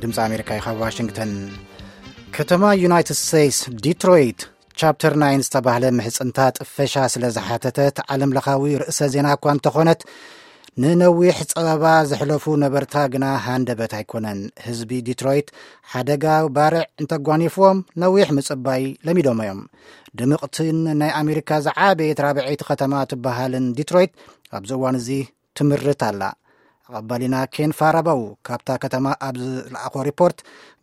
ድምፂ ኣሜሪካ እዩ ካብ ዋሽንግተን። ከተማ ዩናይትድ ስቴትስ ዲትሮይት ቻፕተር ናይን ዝተባህለ ምሕፅንታ ጥፈሻ ስለ ዝሓተተት፣ ዓለም ለኻዊ ርእሰ ዜና እኳ እንተኾነት፣ ንነዊሕ ጸበባ ዘሕለፉ ነበርታ ግና ሃንደበት ኣይኮነን። ህዝቢ ዲትሮይት ሓደጋ ባርዕ እንተጓኒፍዎም፣ ነዊሕ ምጽባይ ለሚዶም እዮም። ድምቕትን ናይ ኣሜሪካ ዝዓበየት ራብዐይቲ ከተማ ትበሃልን ዲትሮይት ኣብዚ እዋን እዚ ትምርት ኣላ። ኣቐባሊና ኬን ፋራባው ካብታ ከተማ ኣብ ዝለኣኾ ሪፖርት፣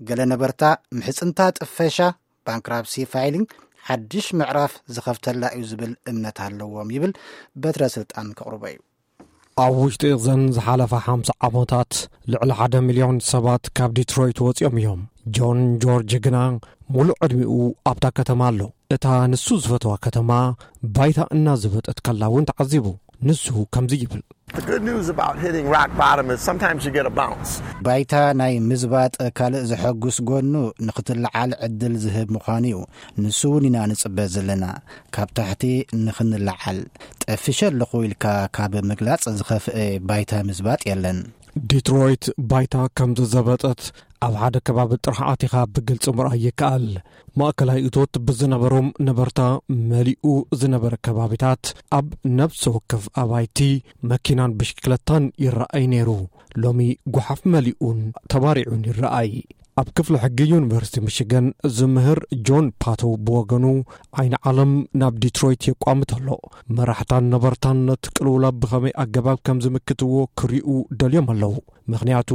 ገለ ነበርታ ምሕጽንታ ጥፈሻ፣ ባንክራፕሲ ፋይሊንግ፣ ሓድሽ ምዕራፍ ዝኸፍተላ እዩ ዝብል እምነት ኣለዎም ይብል። በትረ ስልጣን ከቕርቦ እዩ። ኣብ ውሽጢ እዘን ዝሓለፋ ሓምሳ ዓመታት ልዕሊ ሓደ ሚልዮን ሰባት ካብ ዲትሮይት ወፂኦም እዮም። ጆን ጆርጅ ግና ሙሉእ ዕድሚኡ ኣብታ ከተማ ኣሎ። እታ ንሱ ዝፈተዋ ከተማ ባይታ እናዘበጠት ከላ እውን ተዓዚቡ። ንሱ ከምዚ ይብል። The good news about hitting rock bottom is sometimes you get a bounce. ባይታ ናይ ምዝባጥ ካልእ ዘሐጉስ ጎኑ ንኽትለዓል ዕድል ዝህብ ምዃኑ እዩ። ንሱ እውን ኢና ንጽበ ዘለና። ካብ ታሕቲ ንኽንለዓል፣ ጠፊሸ ኣለኹ ኢልካ ካብ ምግላጽ ዝኸፍአ ባይታ ምዝባጥ የለን። ዲትሮይት ባይታ ከም ዝዘበጠት ኣብ ሓደ ከባቢ ጥራሕ ኣቲኻ ብግልጺ ምርኣይ ይከኣል። ማእከላይ እቶት ብዝነበሮም ነበርታ መሊኡ ዝነበረ ከባቢታት፣ ኣብ ነፍሲ ወከፍ ኣባይቲ መኪናን ብሽክለታን ይረኣይ ነይሩ። ሎሚ ጓሓፍ መሊኡን ተባሪዑን ይረኣይ። ኣብ ክፍሊ ሕጊ ዩኒቨርሲቲ ሚሽገን ዝምህር ጆን ፓቶ ብወገኑ፣ ዓይኒ ዓለም ናብ ዲትሮይት የቋምት ኣሎ። መራሕታን ነበርታን ነቲ ቅልውላው ብኸመይ ኣገባብ ከም ዝምክትዎ ክሪኡ ደልዮም ኣለዉ። ምኽንያቱ፣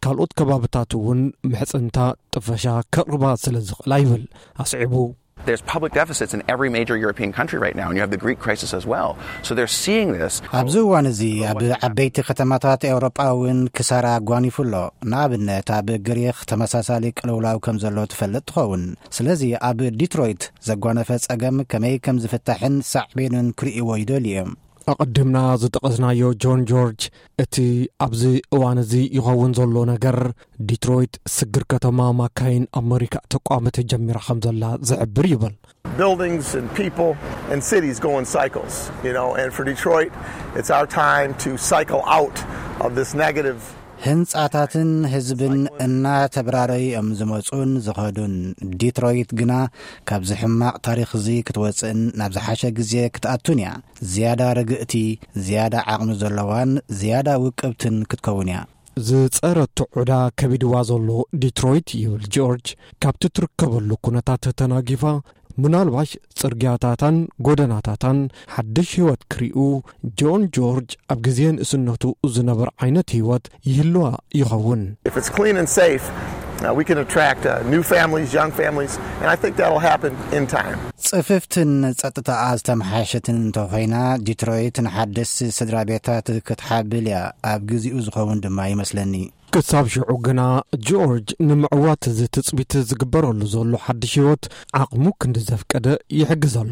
ካልኦት ከባብታት እውን ምሕጽንታ ጥፈሻ ከቕርባ ስለ ዝኽእላ ይብል ኣስዒቡ። There's public deficits in every major European country right now, and you have the Greek crisis as well. So they're seeing this. ኣብዚ እዋን እዚ ኣብ ዓበይቲ ከተማታት ኤውሮጳ እውን ክሳራ ኣጓኒፉ ኣሎ። ንኣብነት፣ ኣብ ግሪኽ ተመሳሳሊ ቅልውላው ከም ዘሎ ትፈልጥ ትኸውን። ስለዚ ኣብ ዲትሮይት ዘጓነፈ ጸገም ከመይ ከም ዝፍታሕን ሳዕቤኑን ክርእይዎ ይደልዩ እዮም። ኣቐዲምና ዝጠቐስናዮ ጆን ጆርጅ፣ እቲ ኣብዚ እዋን እዚ ይኸውን ዘሎ ነገር፣ ዲትሮይት ስግር ከተማ ማካይን ኣመሪካ ተቋመተ ጀሚራ ከም ዘላ ዝሕብር ይብል። Buildings and people and cities go in cycles, you know, and for Detroit, it's our time to cycle out of this negative. ህንጻታትን ህዝብን እናተብራረዩ እዮም ዝመጹን ዝኸዱን። ዲትሮይት ግና ካብዚ ሕማቕ ታሪኽ እዚ ክትወጽእን ናብ ዝሓሸ ግዜ ክትኣቱን እያ። ዝያዳ ርግእቲ፣ ዝያዳ ዓቕሚ ዘለዋን ዝያዳ ውቅብትን ክትከውን እያ። ዝጸረቶ ዕዳ ከቢድዋ ዘሎ ዲትሮይት፣ ይብል ጆርጅ፣ ካብቲ ትርከበሉ ኩነታት ተተናጊፋ፣ ምናልባሽ ጽርግያታታን ጎደናታታን ሓድሽ ህይወት ክሪኡ፣ ጆን ጆርጅ ኣብ ግዜ ንእስነቱ ዝነበረ ዓይነት ህይወት ይህልዋ ይኸውን። If it's clean and safe, uh, we can attract uh, new families, young families, and I think that'll happen in time. ጽፍፍትን ጸጥታኣ ዝተመሓሸትን እንተኾይና፣ ዲትሮይት ንሓደስቲ ስድራ ቤታት ክትሓብል እያ። ኣብ ግዜኡ ዝኸውን ድማ ይመስለኒ። ክሳብ ሽዑ ግና፣ ጆርጅ ንምዕዋት እዚ ትጽቢት ዝግበረሉ ዘሎ ሓድሽ ህይወት ዓቕሙ ክንዲ ዘፍቀደ ይሕግዝ ኣሎ።